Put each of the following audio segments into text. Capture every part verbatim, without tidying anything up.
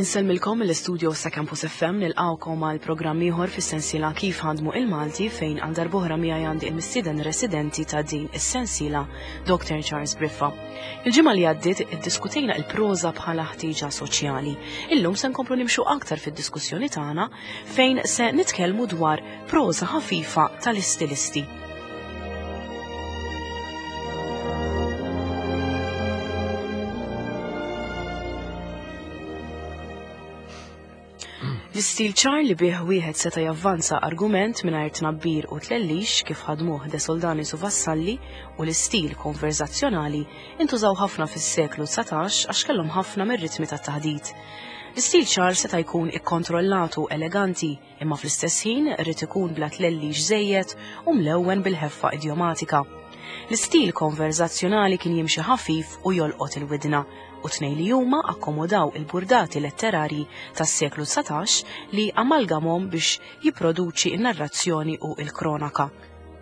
Insellmilkom mill-istudio sa' Campus F M nilqawkom għal programm ieħor fis-sensiela Kif Ħadmu il-Malti fejn għal darb'oħra miegħi għandi il-mistieden residenti ta' din is-sensiela Doctor Charles Briffa. Il-ġimgħa li għaddiet iddiskutejna il-proża bħala ħtieġa soċjali. Illum se nkomplu nimxu aktar fid-diskussjoni tagħna fejn se nitkellmu dwar proża ħafifa tal-istilisti. L-istil ċar li bih wieħed seta' javvanza argument mingħajr tnabbir u tlellix kif ħadmuh De Soldanis u Vassalli u l-istil konverzazzjonali intużaw ħafna fis-seklu dsatax għax kellhom ħafna mir-ritmi tat-taħdit. L-istil ċar seta' jkun ikkontrollat u eleganti, imma fl-istess ħin irid ikun bla tlellix żejjed u mlewwen bil-ħeffa idjomatika. L-istil konverzazzjonali kien jimxi ħafif u jolqot il-widna, u tnejn li huma akkomodaw il-burdati letterarji tas-seklu dsatax li amalgamhom biex jipproduċi n-narrazzjoni u l-kronaka.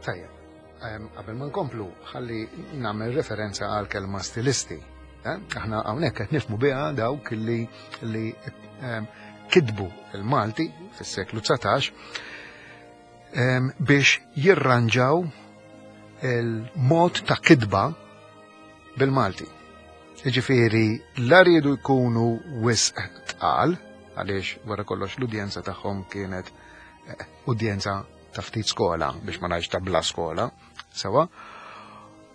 Tajjeb, ehm, qabel ma nkomplu, ħalli nagħmel referenza għal kelma stilisti. Eh? Aħna hawnhekk qed nifhmu biha dawk li, li, ehm, kitbu il-Malti fis-seklu dsatax, ehm, biex jirranġaw il-mod ta' kitba bil-Malti. Jiġifieri, la riedu jkunu wisq tqal, għaliex wara kollox l-udjenza tagħhom kienet, eh, udjenza ta' ftit skola, biex ma ngħidx ta' bla skola, sewa.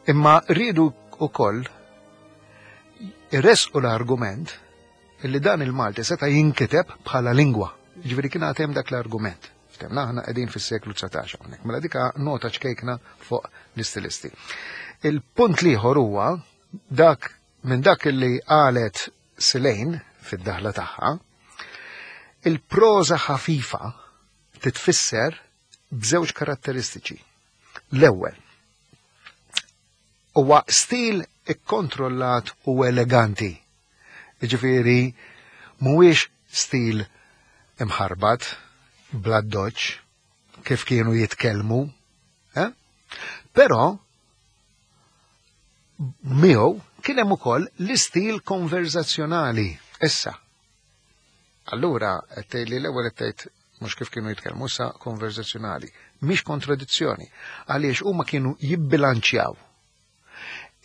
Imma riedu wkoll irresqu l-argument illi dan il-Malti seta' jinkiteb bħala lingwa. Jiġifieri kien għad hemm dak l-argument. Ftemna aħna qegħdin fis-seklu dsatax hawnhekk. Mela dika nota ċkejkna fuq l-istilisti. Il-punt l-ieħor huwa dak minn dak li qalet Silejn fid-daħla tagħha, il-proża ħafifa titfisser b'żewġ karatteristiċi. L-ewwel, huwa stil ikkontrollat u eleganti. Jiġifieri mhuwiex stil imħarbat, bla doċ, kif kienu jitkellmu, eh? Però miegħu kien hemm ukoll l-istil konverzazzjonali. Issa. Allura qed tgħid li l-ewwel qed tgħid mhux kif kienu jitkellmu issa konverzazzjonali. Mhix kontradizzjoni, għaliex huma kienu jibbilanċjaw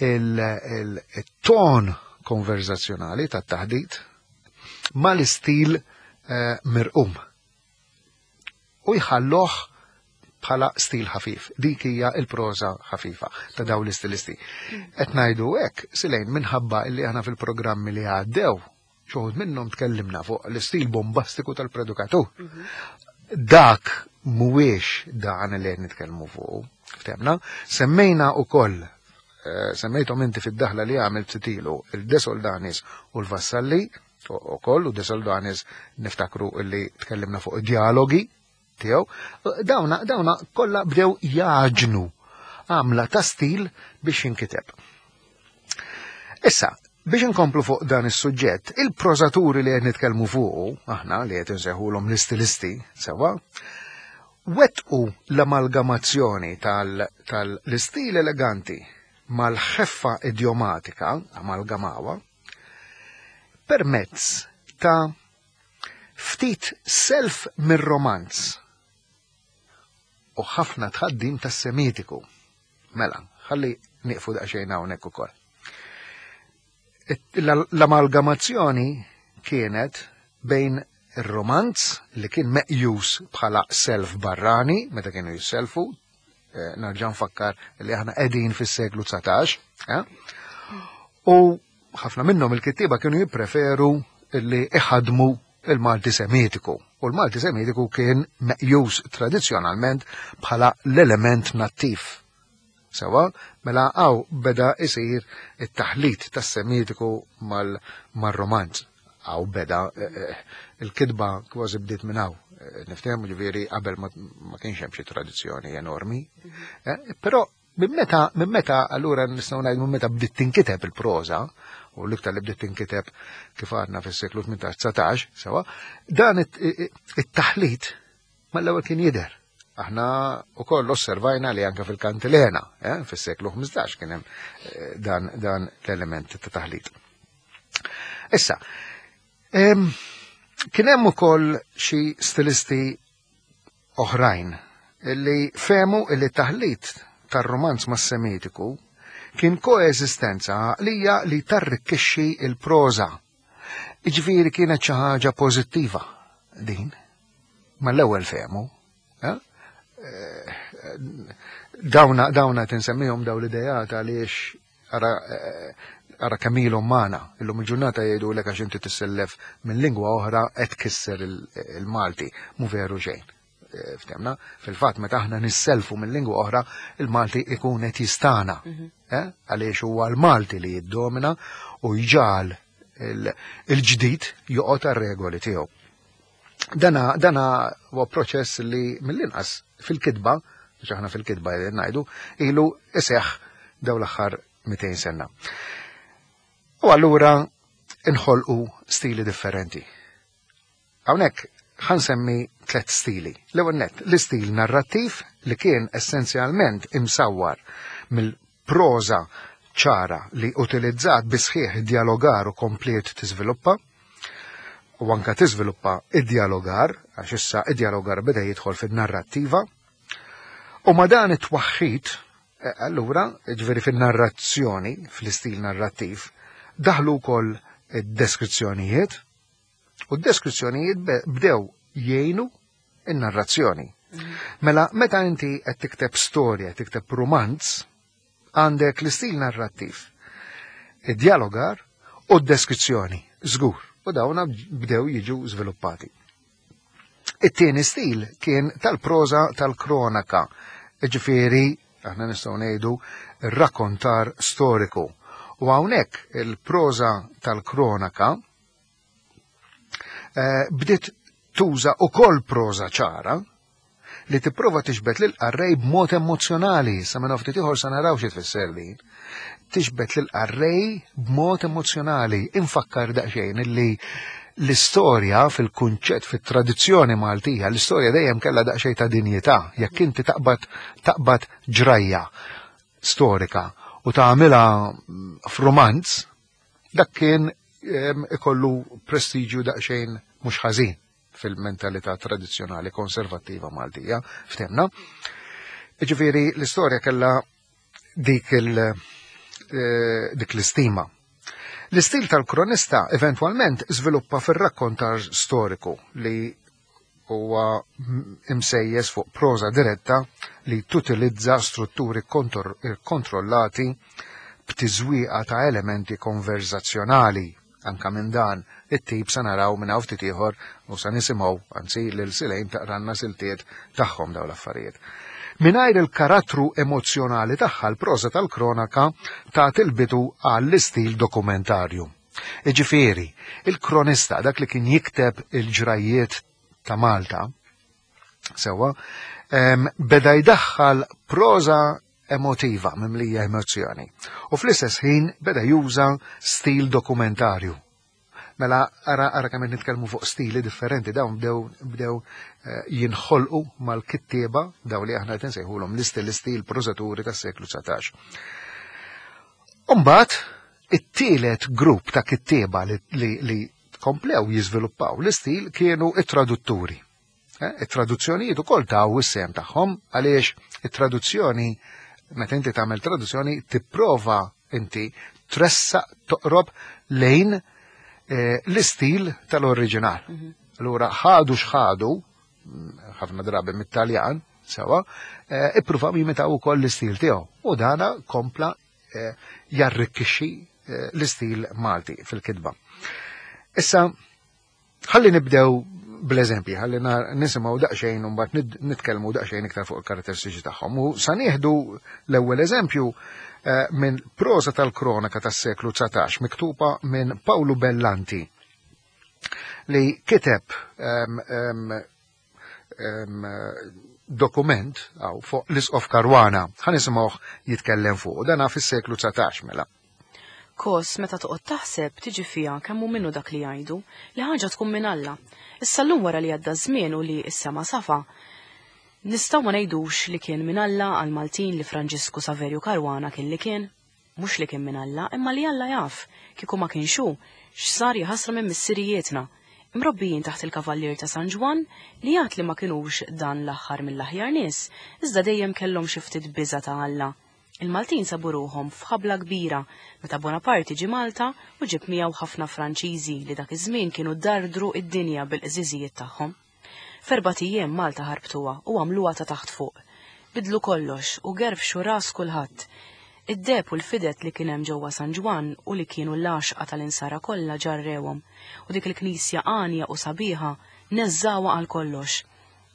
il-, il-, il-ton konverzazzjonali tat-taħdit mal-istil, eh, mirqum. U jħalloh bħala stil ħafif. Dik hija l-proża ħafifa ta' dawn l-istilisti. Qed ngħidu hekk, Silejn, minħabba li aħna fil-programmi li għaddew, xi wħud minnhom tkellimna fuq l-istil bombastiku tal-predukatur. Mhm. Dak mhuwiex dan li qed nitkellmu fuq, ftemna. Semmejna wkoll, eh, semmejthom inti fid-daħla li għamilt ftit ilu, il-De Soldanis u l-Vassalli, ukoll, u De Soldanis niftakru li tkellimna fuq dialogi tiegħu, dawna, dawna kollha bdew jaġnu għamla ta' stil biex jinkiteb. Issa, biex inkomplu fuq dan is-suġġett, il-prożaturi li qed nitkellmu fuqu, aħna li qed insejħulhom l-istilisti, sewa, wettqu l-amalgamazzjoni tal-, tal-istil eleganti mal-ħeffa idjomatika, amalgamawa, permezz ta' ftit self mir-romanz u ħafna tħaddim tas-semitiku. Mela, ħalli nieqfu daqsxejn hawnhekk ukoll. It-, la-, l-amalgamazzjoni kienet bejn ir-romanz li kien meqjus bħala self barrani, meta kienu jisselfu, eh, nerġa' nfakkar li aħna qegħdin fis-seklu dsatax, eh? U ħafna minnhom il-kittieba kienu jippreferu li iħadmu il-Malti Semitiku. U l-Malti Semitiku kien meqjus tradizzjonalment bħala l-element nattiv. Sewa, mela għaw beda isir it-taħlit tas-Semitiku mal-, mar-romanz. Għaw beda, eh, eh, il-kitba kważi bdiet minn hawn. Eh, niftehmu ġifieri qabel ma, ma kienx hemm xi tradizzjoni enormi. Eh, però minn meta, minn meta allura nistgħu ngħidu minn meta bdiet tinkiteb il-proża, u l-iktar li bdiet tinkiteb kif għadna fis-seklu tmintax dsatax, sewa, dan it-, it-, it-taħlit mal-ewwel kien jidher. Aħna wkoll osservajna li anke fil-Kantilena, eh, fis-seklu ħmistax kien hemm, eh, dan, dan l-element ta' taħlit. Issa, em, Kien hemm ukoll xi stilisti oħrajn li fehmu li taħlit tar-romanz mas-Semitiku kien koeżistenza għaqlija li tarrikkixxi il-proża. Iġifieri kienet xi ħaġa pożittiva din. Ma l-ewwel fehmu. Eh? Eh, dawna dawna tinsemmihom daw l-idejat għaliex ara eh, ara kemm ilhom magħna. Illum il-ġurnata jgħidu lek għax inti tissellef minn lingwa oħra qed tkisser il-Malti. Mu veru xejn. Eh, ftemna, fil-fatt meta aħna nisselfu minn lingwa oħra, il-Malti ikun qed jistana. Mhm. Eh, għaliex huwa l-Malti li jiddomina u jġal il-ġdid joqgħod għar-regoli tiegħu. Dana dana huwa proċess li mill-inqas fil-kitba, biex aħna fil-kitba ngħidu, ilu iseħħ daw l-aħħar mitejn sena. U allura inħolqu stili differenti. Hawnhekk ħansemmi tliet stili. L-ewwel nett, l-istil narrattiv li kien essenzjalment imsawwar mill-proża ċara li utilizzat bisħieħ dialogar u kompliet tiżviluppa, u anka tiżviluppa id-dialogar, għax issa id-dialogar beda jidħol fin-narrattiva, u ma dan it-twaħħid, eh, allura, ġifieri fin-narrazzjoni, fl-istil narrattiv, daħlu wkoll id-deskrizzjonijiet, u d-deskrizzjonijiet bdew jgħinu in-narrazzjoni. Mela, meta inti qed tikteb storja, tikteb romanz, għandek l-istil narrattiv, id-dialogar u d-deskrizzjoni, żgur, u dawna bdew jiġu żviluppati. It-tieni stil kien tal-proża tal-kronaka, ġifieri, aħna nistgħu ngħidu, rakkontar storiku. U hawnhekk il-proża tal-kronaka eh, bdiet tuża ukoll proża ċara li tipprova tixbet lil qarrej b'mod emozjonali, sa minn ftit ieħor sa naraw xi tfisser din. Tixbet lil qarrej b'mod emozjonali, infakkar daqsxejn illi l-istorja fil-kunċett fit-tradizzjoni Maltija, l-istorja dejjem kellha daqsxejn ta' dinjità, jekk inti taqbad taqbad ġrajja storika u tagħmilha f'romanz, dak kien ikollu prestiġju daqsxejn mhux ħażin fil-mentalità tradizzjonali konservattiva Maltija, ftemna. Ġifieri l-istorja kellha dik il eh, dik l-istima. L-istil tal-kronista eventwalment żviluppa fir-rakkontar storiku li huwa imsejjes fuq proża diretta li tutilizza strutturi kontrollati b'tiżwieqa ta' elementi konverzazzjonali. Anka minn dan it-tip sa naraw minn hawn ftit ieħor u sa nisimgħu anzi lil Silejn taqranna siltiet tagħhom dawn l-affarijiet. Mingħajr il-karattru emozjonali tagħha l-proża tal-kronaka tagħti il-bidu għall-istil dokumentarju. Iġifieri, il-kronista dak li kien jikteb il-ġrajiet ta' Malta, sewwa, beda jdaħħal proża emotiva mimlija emozzjoni. U fl-istess ħin beda juża stil dokumentarju. Mela ara ara kemm nitkellmu fuq stili differenti dawn bdew bdew eh, jinħolqu mal-kittieba daw li aħna qed insejħulhom l-istilisti l-prożaturi tas-seklu dsatax. Umbagħad it-tielet grupp ta' kittieba li, li, li komplew jiżviluppaw l-istil kienu it-tradutturi. Eh, it-traduzzjonijiet ukoll taw is-sehem tagħhom għaliex it-traduzzjoni meta inti tagħmel traduzzjoni tipprova inti tressaq toqrob lejn eh, l-istil tal-oriġinal. Mhm. Allura ħadu x'ħadu, ħafna drabi mit-Taljan, sewa, eh, ippruvaw jimitaw ukoll l-istil tiegħu. U dana kompla eh, jarrikkixxi l-istil Malti fil-kitba. Issa, ħalli nibdew bl-eżempji, ħalli nisimgħu daqsxejn u mbagħad nitkellmu daqsxejn iktar fuq il-karatteristiċi tagħhom. U sa nieħdu l-ewwel eżempju eh, minn proża tal-kronaka tas-seklu dsatax miktuba minn Paolo Bellanti li kiteb em, em, em, dokument għaw fuq l-Isqof Caruana, ħa nisimgħuh jitkellem fuq, dana fis-seklu dsatax mela. Kos, meta toqgħod taħseb tiġi fiha kemm hu minnu dak li jgħidu, li ħaġa tkun minn Alla. Issa llum wara li għadda żmien u li issa ma safa, nistgħu ma ngħidux li kien minn Alla għal Maltin li Franġisku Saverju Caruana kien li kien. Mhux li kien minn Alla, imma li Alla jaf, kieku ma kienx hu, x'sar jaħasra minn missirijietna. Imrobbijin taħt il-Kavallier ta' San Ġwann li jgħid li ma kinux dan l-aħħar mill-aħjar nies, iżda dejjem kellhom xi ftit biża' ta' Alla. Il-Maltin sabu ruħhom f'ħabla kbira meta Bonaparte ġie Malta u ġib miegħu ħafna Franċiżi li dak iż-żmien kienu dardru id-dinja bil-qżiżijiet tagħhom. F'erbat ijiem Malta ħarbtuha u għamluha ta' taħt fuq. Bidlu kollox u gerfxu ras kulħadd. Id-deheb u l-fided li kien hemm ġewwa San Ġwann u li kienu l-għaxqa tal-insara kollha ġarrewhom u dik il-knisja għanja u sabiħa neżżawha għal kollox.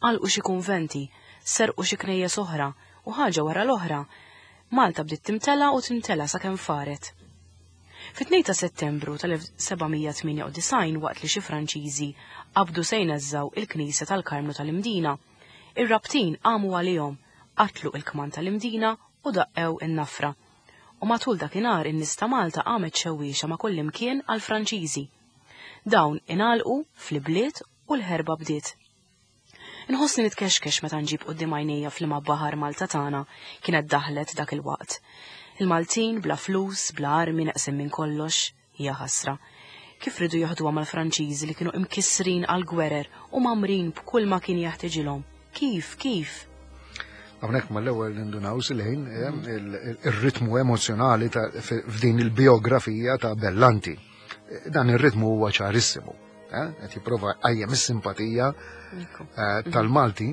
Għalqu xi kunventi, serqu xi knejjes oħra u ħaġa wara l-oħra. Malta bdiet timtela u timtela sakemm faret. Fit-tnejn ta' Settembru tal-elf seba' mija tmienja u disgħin waqt li xi Franċiżi qabdu se jneżżaw il-Knisja tal-Karmnu tal-Imdina, ir-Rabtin qamu għalihom, qatlu il-kman tal-Imdina u daqqew in-nafra. U matul dakinhar in-nies ta' Malta qamet xewwiexa ma' kullimkien għall-Franċiżi. Dawn ingħalqu fl-ibliet u l-ħerba bdiet. Inħossni nitkexkex meta nġib quddiem għajnejja fl-imma baħar Malta tagħna kienet daħlet dak il-waqt. Il-Maltin bla flus, bla armi neqsim minn kollox, hija ħasra. Kif ridu jaħduha mal-Franċiżi li kienu imkissrin għal-gwerer u mamrin b'kull ma kien jaħtiġilhom? Kif, kif? Hawnhekk mal-ewwel nindunaw silħin, eh, il-, il-, ir-ritmu emozjonali ta' f-, f'din il-biografija ta' Bellanti. Dan ir-ritmu huwa ċarissimu. Eh, qed jipprova jqajjem is-simpatija, Ekku. eh, tal-Malti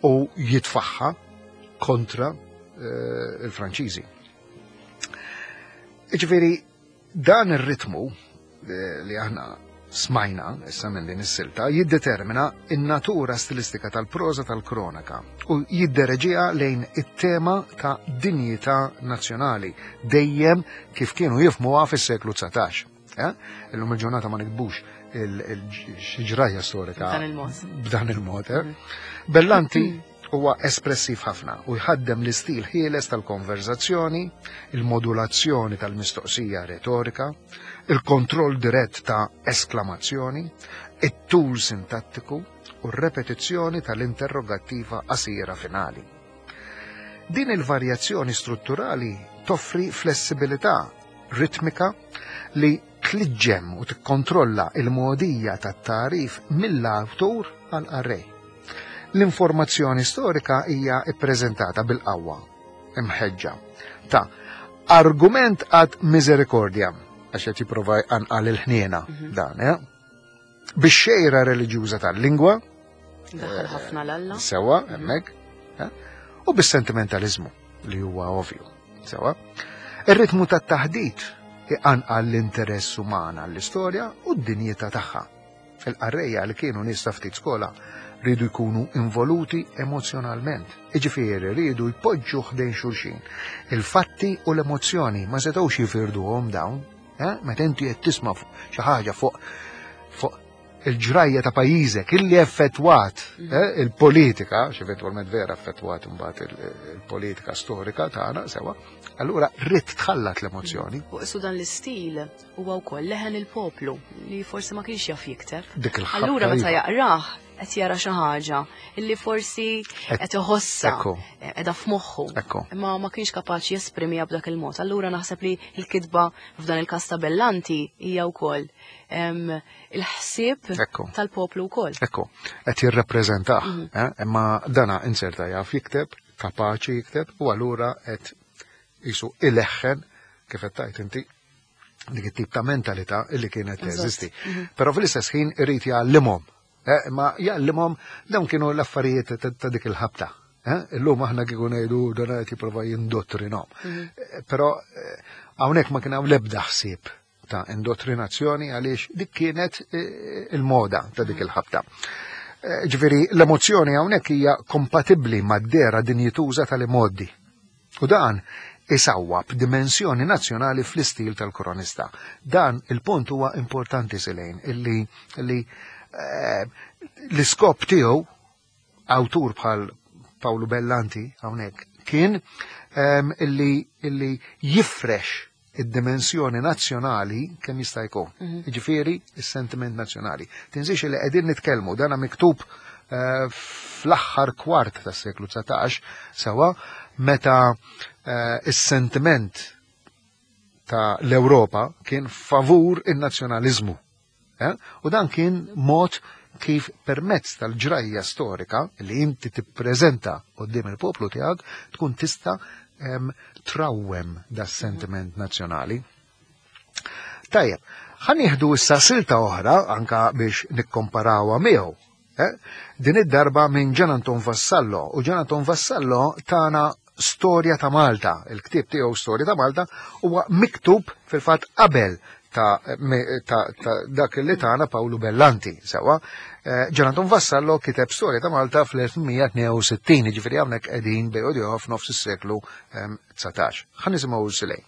u jitfaħħa kontra, eh, il-Franċiżi. Jiġifieri dan ir-ritmu, eh, li aħna smajna issa minn din is-silta jiddetermina in-natura stilistika tal-proża tal-kronaka u jiddereġiha lejn it-tema ta' dinjità nazzjonali dejjem kif kienu jifhmuha fis-seklu dsatax. Eh? Illum il-ġurnata ma nikbux il-ġrajja storika B'dan il-mod. B'dan il-mod, eh? Bellanti huwa espressiv ħafna u jħaddem l-istil ħieles tal-konverzazzjoni, il-modulazzjoni tal-mistoqsija retorika, il-kontroll dirett ta' esklamazzjoni, it-tul sintattiku u r-repetizzjoni tal-interrogattiva qasira finali. Din il-varjazzjoni strutturali toffri flessibilità ritmika li tliġġem u tikkontrolla il-modija tat-tarif mill-awtur għal-qarrej. L-informazzjoni storika hija ippreżentata bil-qawwa, imħeġġa, ta' argument ad misericordiam, għax qed jipprova jqanqal il-ħniena Mhm. dan, eh? Bix-xejra reliġjuża tal-lingwa, Daħal ħafna l-Alla. Sewa, hemmhekk, eh? U bis-sentimentalizmu li huwa ovvju, sewa. Ir-ritmu tat-taħdit iqanqal l-interess uman għall-istorja u d-dinjità tagħha. Il-qarrejja li kienu nies ta' ftit skola rridu jkunu involuti emozjonalment. Iġifieri rridu jpoġġu ħdejn xulxin. Il-fatti u l-emozzjoni ma setgħux jifirduhom dawn. Eh? Meta inti qed tisma' fuq xi ħaġa fuq, fuq il-ġrajja ta' pajjiżek illi effettwat, Mm. eh, il-politika, x'eventwalment vera effettwat imbagħad il-, il-politika storika tagħna sewa, allura rrid tħallat l-emozzjoni. U qisu dan l-istil huwa wkoll leħen il-poplu li forsi ma kienx jaf jikteb. Dik il-ħabta Allura meta iva. jaqrah qed jara xi ħaġa illi forsi Et- qed iħossha, Ekku. qiegħda f'moħħu. Ekku. Imma ma kienx kapaċi jesprimiha b'dak il-mod. Allura naħseb li l-kitba f'dan il-każ ta' Bellanti hija wkoll, em, il-ħsieb Ekku. tal-poplu wkoll. Ekku, qed jirrappreżentah, Mhm. eh? Imma dana inserta jaf jikteb, kapaċi jikteb, u allura qed jisu ileħħen kif qed tgħid inti dik it-tip ta' mentalità illi kienet Eżatt. teżisti. Mhm. Però fl-istess ħin irid jgħallimhom. Eh, ma jgħallimhom dawn kienu l-affarijiet ta', ta' dik il-ħabta. Eh? Illum aħna kieku ngħidu dan qed jipprova jindottrinhom. Mhm. Eh, però, eh, hawnhekk ma kien hawn l-ebda ħsieb ta' indottrinazzjoni għaliex dik kienet, eh, il-moda ta' dik il-ħabta. Eh, ġifieri l-emozzjoni hawnhekk hija kompatibbli mad-dera dinjituża tal-imoddi. U dan isawwab dimensjoni nazzjonali fl-istil tal-kronista. Dan il-punt huwa importanti silejn illi, illi, eh, l-iskop tiegħu awtur bħal Paolo Bellanti hawnhekk kien, ehm, illi, illi jifrex id-dimensjoni nazzjonali kemm jista' jkun. Mhm. Jiġifieri is-sentiment nazzjonali. Tinsiex li qegħdin nitkellmu dana miktub, eh, fl-aħħar kwart tas-seklu dsatax sewa meta, eh, is-sentiment ta' l-Ewropa kien favur in-nazzjonaliżmu. Eh? U dan kien mod kif permezz tal-ġrajja storika li inti tippreżenta quddiem il-poplu tiegħek tkun tista' em, trawwem da sentiment nazzjonali. Tajjeb, ħa nieħdu issa silta oħra anka biex nikkomparawha miegħu. Eh? Din id-darba minn Gian Anton Vassallo, u Gian Anton Vassallo tana Storja ta' Malta, il-ktieb tiegħu Storja ta' Malta huwa miktub fil-fatt qabel ta', me- ta, ta dak li tana Pawlu Bellanti, sewa. Eh, Gian Anton Vassallo kiteb Storja ta' Malta fl-elf tmien mija tnejn u sittin, ġifieri hawnhekk qegħdin bejn f'nofs is-seklu em, dsatax. Ħa nisimgħu Silej.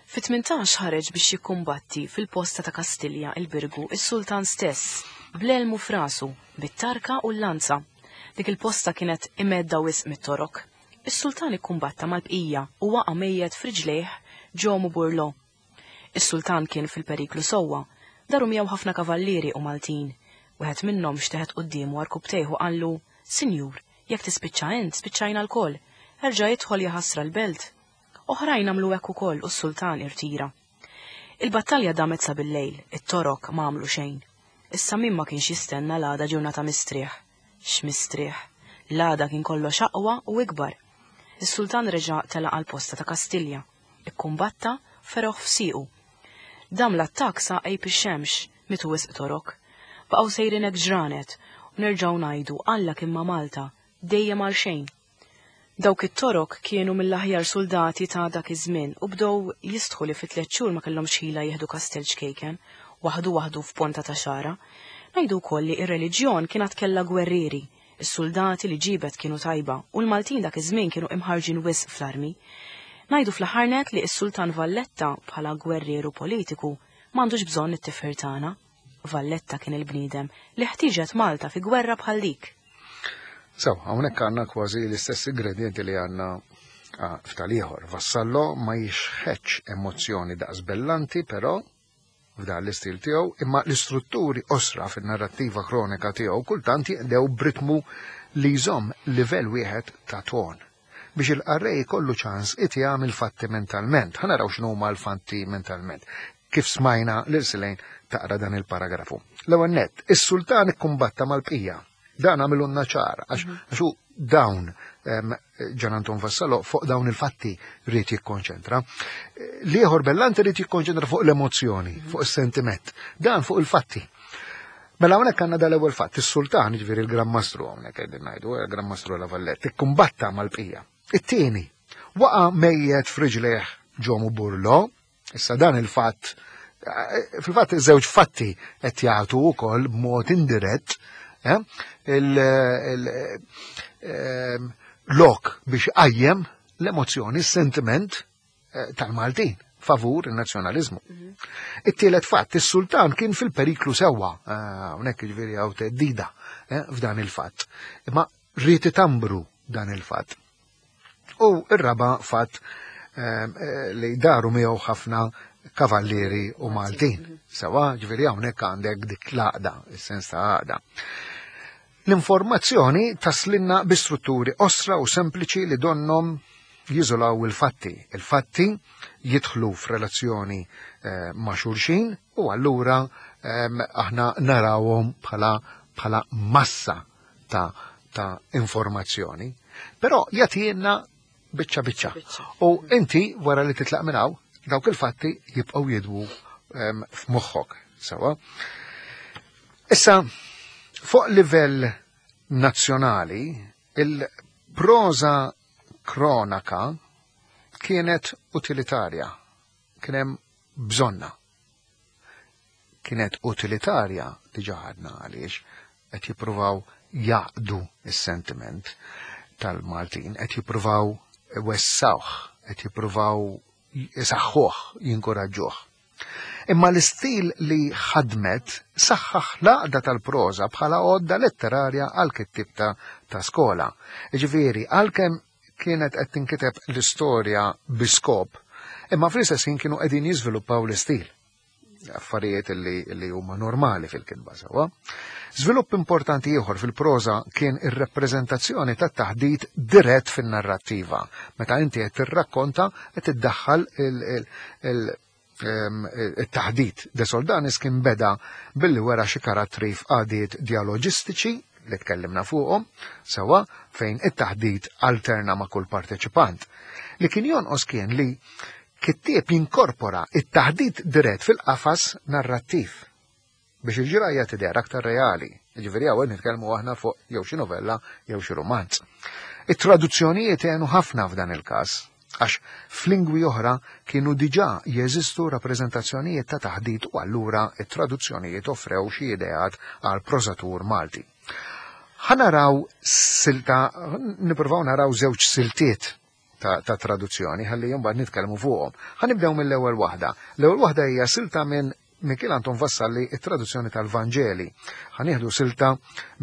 Fit-tmintax ħareġ biex jikkumbatti fil-posta ta' Kastilja il-Birgu is-sultan stess, bl-elmu f'rasu, bit-tarka u l-lanza. Dik il-posta kienet imedda wisq mit-Torok. Is-sultan ikkumbatta mal-bqija u waqa' mejjet friġlejh Ġomu Burlo. Is-sultan kien fil-periklu sewwa, daru miegħu ħafna kavallieri u Maltin. Wieħed minnhom xteħet quddiemu għarkupptejh u qallu, "Sinjur, jekk tispiċċa int, spiċċajna lkoll, erġa' idħol jaħasra l-belt." Oħrajn għamlu hekk ukoll u s-sultan irtira. Il-battalja damet sa bil-lejl, it-Torok ma għamlu xejn. Issa min ma kienx jistenna l-għada ġurnata mistrieħ? X'mistrieħ? L-għada kien kollox aqwa u ikbar. Is-sultan reġa' telaq għal posta ta' Kastilja. Ikkumbatta feroħ f'siqu. Dam l-attak sa qrib ix-xemx, mietu wisq Torok. Baqgħu sejrin hekk ġranet u nerġgħu ngħidu Alla kien ma' Malta, dejjem għal xejn. Dawk it-Torok kienu mill-aħjar soldati ta' dak iż-żmien u bdew jistħu li fi tliet xhur ma kellhomx ħila jieħdu kastell ċkejken, waħdu waħdu f'ponta ta' xara. Ngħidu wkoll li ir-reliġjon kienet kellha gwerrieri, is-soldati li ġibet kienu tajba u l-Maltin dak iż-żmien kienu imħarġin wisq fl-armi. Ngħidu fl-aħħar net li s-Sultan Valletta bħala gwerrieru politiku m'għandux bżonn it-tifħir tagħna. Valletta kien il-bniedem li ħtieġet Malta fi gwerra bħal dik. So, hawnhekk għandna kważi l-istess ingredienti li għandna ah, f'tal-ieħor. Vassallo ma jixħetx emozzjoni daqs Bellanti, però f'dan l-istil tiegħu, imma l-istrutturi osra fin-narrattiva kronika tiegħu kultant jinqdew b'ritmu li jżomm livell wieħed ta' ton biex il-qarrej kollu ċans itiegħem il-fatti mentalment. Ħa naraw x'inhuma l-fatti mentalment. Kif smajna lil Silejn taqra dan il-paragrafu. L-ewwel nett, is-sultan ikkumbatta mal-bqija. Dan għamilulna ċar, għax għax hu dawn em, Gian Anton Vassallo fuq dawn il-fatti rrid jikkonċentra. L-ieħor Bellanti rrid jikkonċentra fuq l-emozzjoni, fuq is-sentiment. Dan fuq il-fatti. Mela hawnhekk għandna dal-ewwel fatt, is-sultan, jiġifieri il-Gran Mastru hawnhekk qegħdin ngħidu, il-Gran Mastru La Valletta, ikkumbatta mal-bqija. It-tieni, waqa' mejjet friġlejh Ġomu Burlo, issa dan il-fatt, eh, fil-fatt żewġ fatti qed jagħtu wkoll b'mod indirett eh, il- il- ehm, lok biex qajjem l-emozzjoni, s-sentiment eh, tal-Maltin favur il-nazzjonalizmu. It-tielet fatt, is-sultan kien fil-periklu sewwa, hawnhekk jiġifieri hawn theddida eh, f'dan il-fatt. Imma ried itambru dan il-fatt. U ir-raba fatt ehm, eh, li daru miegħu ħafna kavallieri u Maltin. Sewa, ġifieri hawnhekk għandek dik l-għaqda, is-sens ta' għaqda. L-informazzjoni taslinna bi strutturi osra u sempliċi li donnom jiżolaw il-fatti. Il-fatti jidħlu f'relazzjoni eh, ma' xulxin u allura ehm, aħna narawhom bħala bħala massa ta', ta' informazzjoni. Però jagħtina biċċa biċċa. Biċċa. U inti wara li titlaq minn hawn, dawk il-fatti jibqgħu jidwu ehm, f'moħħok. Sewa. Issa, fuq livell nazzjonali, il-proza kronaka kienet utilitarja, kien hemm bżonnha. Kienet utilitarja diġà għadna għaliex qed jippruvaw jaqdu is-sentiment tal-Maltin, qed jippruvaw wessawh, qed jippruvaw jisaħħuh, jinkoraġġuh. Imma l-istil li ħadmet saħħaħ l-għaqda tal-proża bħala għodda letterarja għal kittib ta', ta' skola. Ġifieri, għalkemm kienet qed tinkiteb l-istorja bi skop, imma fl-istess ħin kienu qegħdin jiżviluppaw l-istil. Affarijiet li, li huma normali fil-kitba sewwa. Żvilupp importanti ieħor fil-proża kien ir-rappreżentazzjoni tat-taħdit dirett fin-narrattiva. Meta inti qed tirrakkonta qed iddaħħal il- il- il- it-taħdit. De Soldanis kien beda billi wera xi karattri f'qagħdiet dialoġistiċi li tkellimna fuqhom, sewa fejn it-taħdit alterna ma' kull parteċipant. Li kien jonqos kien li kittieb jinkorpora it-taħdit dirett fil-qafas narrattiv biex il-ġrajja tidher aktar reali. Ġifieri hawn nitkellmu aħna fuq jew xi novella jew xi romanz. It-traduzzjonijiet għenu ħafna f'dan il-każ, għax f'lingwi oħra kienu diġà jeżistu rappreżentazzjonijiet ta' taħdit u allura it-traduzzjonijiet offrew xi ideat għal prożatur Malti. Ħa naraw silta, nippruvaw naraw żewġ siltiet ta', ta' traduzzjoni ħalli mbagħad nitkellmu fuqhom. Ħa nibdew mill-ewwel waħda. L-ewwel waħda hija silta minn Mikiel Anton Vassalli, it-traduzzjoni tal-Vanġeli. Ħa nieħdu silta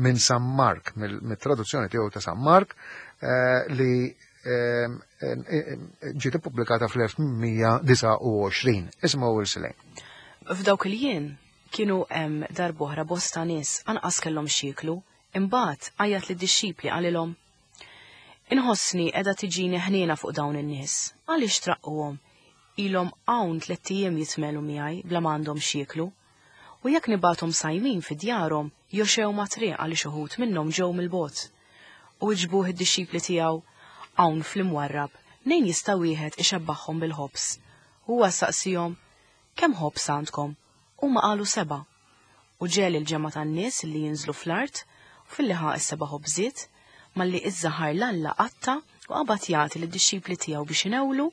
minn San Mark, mill-traduzzjoni tiegħu ta' San Mark, eh, li eh, eh, ġiet ippubblikata fl-elf tmien mija disgħa u għoxrin. Isimgħu il-silejn. F'dawk il-jiem kienu hemm darb'oħra bosta nies anqas kellhom x'jieklu, imbagħad għajjat lid-dixxipli qalilhom: Inħossni qiegħda tiġini ħniena fuq dawn in-nies, għaliex traqquhom? Ilhom hawn tlett ijiem jitmelu miegħi bla ma għandhom x'jieklu. U jekk nibgħathom sajmin fi djarhom, joxew ma' triq għaliex uħud minnhom ġew mill-bogħod. U iġbuh id-dixxipli tiegħu hawn fl-imwarrab, nejn jista' wieħed ixebbaħhom bil-ħobż. Huwa saqsihom, kemm ħobż għandkom? Huma qalu seba'. U ġiegħel il-ġemgħa tan-nies li jinżlu fl-art, u filli ħa s-seba' ħobżiet, malli iżżaħar 'l Alla qatta' u qabad jagħti lid-dixxipli tiegħu biex inewlu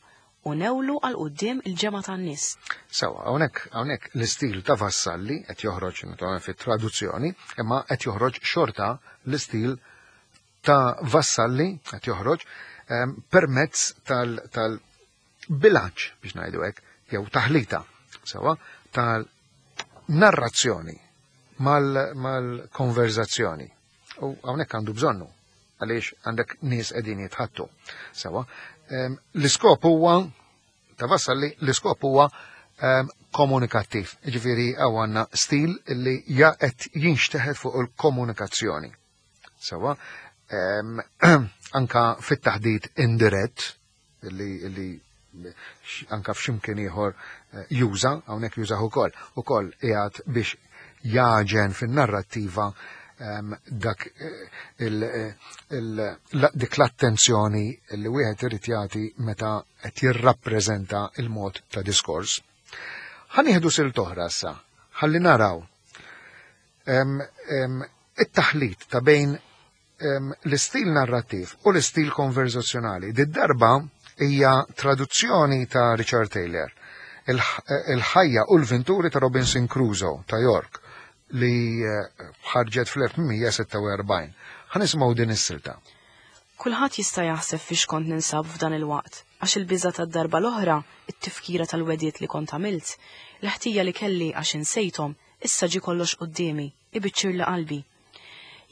u newlu għal quddiem il-ġemgħa tan-nies. Sewa, hawnhekk hawnhekk l-istil ta' Vassalli qed joħroġ naturalment fit-traduzzjoni, imma qed joħroġ xorta l-istil ta' Vassalli qed joħroġ ehm, permezz tal-bilanċ biex ngħidu hekk, jew taħlita, sewa, tal-narrazzjoni mal-konverzazzjoni. U hawnhekk għandu bżonnu għaliex għandek nies qegħdin jitħattu. Sewa, ehm, l-iskop huwa ta' Vassalli, l-iskop huwa ehm, komunikattiv. Ġifieri hawn għandna stil li ja qed jinxteħet fuq il-komunikazzjoni. Sewa, ehm, anka fit-taħdit indirett li, li anka f'ximkien ieħor eh, juża, hawnhekk jużah ukoll, ukoll qiegħed biex jaġen fin-narrattiva um, dak eh, il, il, la, dik l-attenzjoni li wieħed irid jagħti meta qed jirrappreżenta il-mod ta' diskors. Ħa nieħdu silt oħra issa, ħalli naraw um, um, it-taħlit ta' bejn um, l-istil narrattiv u l-istil konverzazzjonali. Did-darba hija traduzzjoni ta' Richard Taylor, il-ħajja u l-venturi ta' Robinson Crusoe ta' York, li ħarġet fl-elf tmien mija sitta u erbgħin. Ħa nisimgħu din is-silta. Kulħadd jista' jaħseb fiex kont ninsab f'dan il-waqt, għax il-biża tad-darba l-oħra, it-tifkira tal-wediet li kont għamilt, l-ħtija li kelli għax insejthom, issa ġi kollox quddiemi, ibiċċir li qalbi.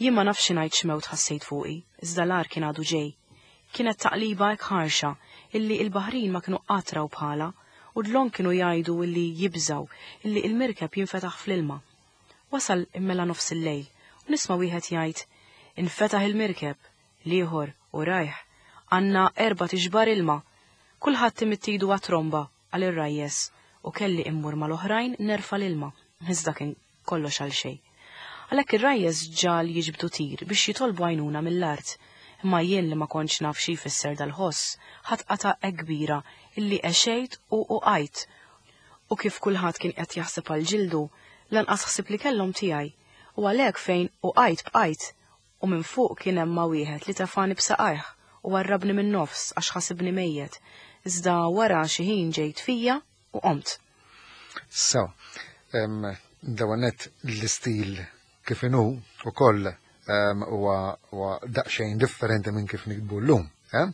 Jien ma nafx ngħid x'mewt ħassejt fuqi, iżda l-ar kien għadu ġej. Kienet taqliba hekk ħarxa illi il-baħrin ma kienu qatt raw bħala, u dlon kienu jgħidu illi jibżaw illi il-mirkeb jinfetaħ fl-ilma. Wasal immela nofs il-lejl, u nisma' wieħed jgħid, infetaħ il-mirkeb, l-ieħor u rajh, għandna erba' tixbar ilma, kulħadd imittidu għat-tromba għal ir-rajjes, u kelli immur mal-oħrajn nerfa' l-ilma, iżda kien kollox għal xejn. Għalhekk ir-rajjes ġal jiġbdu tir biex jitolbu għajnuna mill-art, imma jien li ma kontx naf xi jfisser dal-ħoss, ħadd qata' hekk kbira illi għexejt u uqajt, u kif kulħadd kien qed jaħseb għal ġildu, lanqas ħsib li kellhom tiegħi, u għalhekk fejn uqajt bqajt, u minn fuq kien hemm ma' wieħed li tefani b'saqajh u warrabni minn nofs għax ħasibni mejjet, iżda wara xi ħin ġejt fija u qomt. So, em, dawanet l-istil kif inhu ukoll em, huwa huwa daqsxejn differenti minn kif nikbu llum. Eh?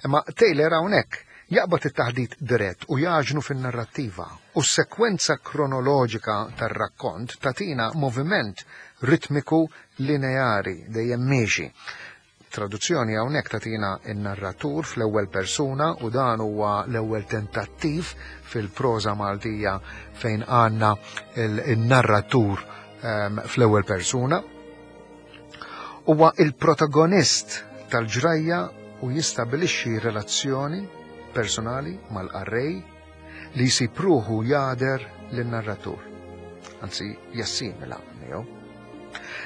Imma Taylor hawnhekk jaqbad it-taħdit dirett u jaġnu fin-narrattiva u s-sekwenza kronoloġika tar-rakkont tatina moviment ritmiku lineari dejjem miexi. Traduzzjoni hawnhekk tatina in-narratur fl-ewwel persuna u dan huwa l-ewwel tentattiv fil-proża Maltija fejn għandna il-narratur, ehm, fl-ewwel persuna. Huwa il-protagonist tal-ġrajja u jistabilixxi relazzjoni personali mal-qarrej li jsib ruħu jagħder lin-narratur. Anzi, jassimila miegħu.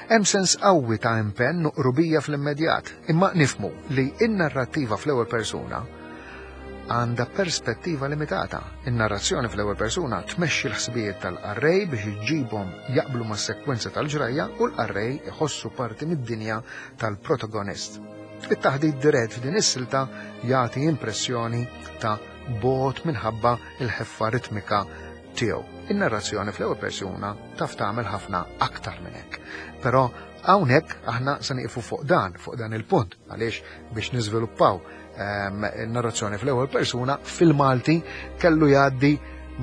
Hemm sens qawwi ta' impenn u qrubija fl-immedjat, imma nifhmu li n-narrattiva fl-ewwel persuna għandha perspettiva limitata. In-narrazzjoni fl-ewwel persuna tmexxi l-ħsibijiet tal-qarrej biex iġġibhom jaqblu mas-sekwenza tal-ġrajja u l-qarrej iħossu parti mid-dinja tal-protagonist. It-taħdit dirett f'din is-silta jagħti impressjoni ta' bogħod minħabba il-ħeffa ritmika tiegħu. In-narrazzjoni fl-ewwel persuna taf tagħmel ħafna aktar minn hekk. Però hawnhekk aħna se nieqfu fuq dan, fuq dan il-punt, għaliex biex niżviluppaw ehm, in-narrazzjoni fl-ewwel persuna fil-Malti kellu jgħaddi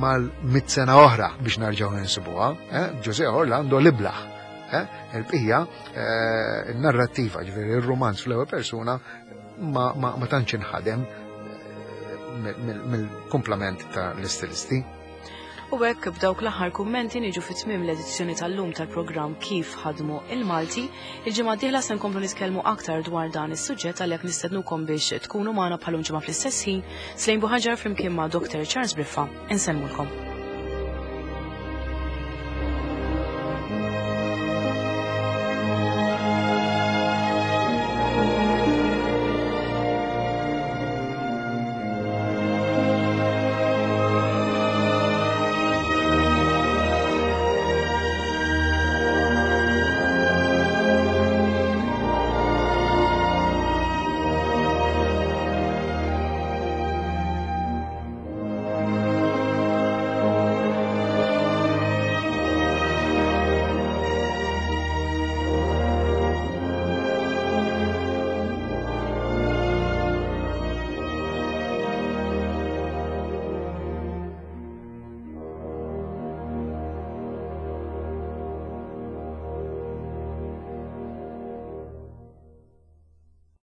mal-mitt sena oħra biex narġgħu ninsibuha. Eh? Ġużè Orlando l-iblaħ. Eh? Il-bqija eh, il-narrattiva, ġifieri il-romanz fl-ewwel persuna ma, ma, ma tantx inħadem mill-kumplament tal-istilisti. U hekk b'dawk l-aħħar kummenti niġu fi tmiem l-edizzjoni tal-lum tal-programm Kif ħadmu il-Malti. Il-ġimgħa d-dieħla se nkomplu nitkellmu aktar dwar dan is-suġġett, għalhekk nistednukom biex tkunu magħna bħalum ġimgħa fl-istess ħin. Slejn Buħaġar flimkien ma' Doctor Charles Briffa insellmulkom.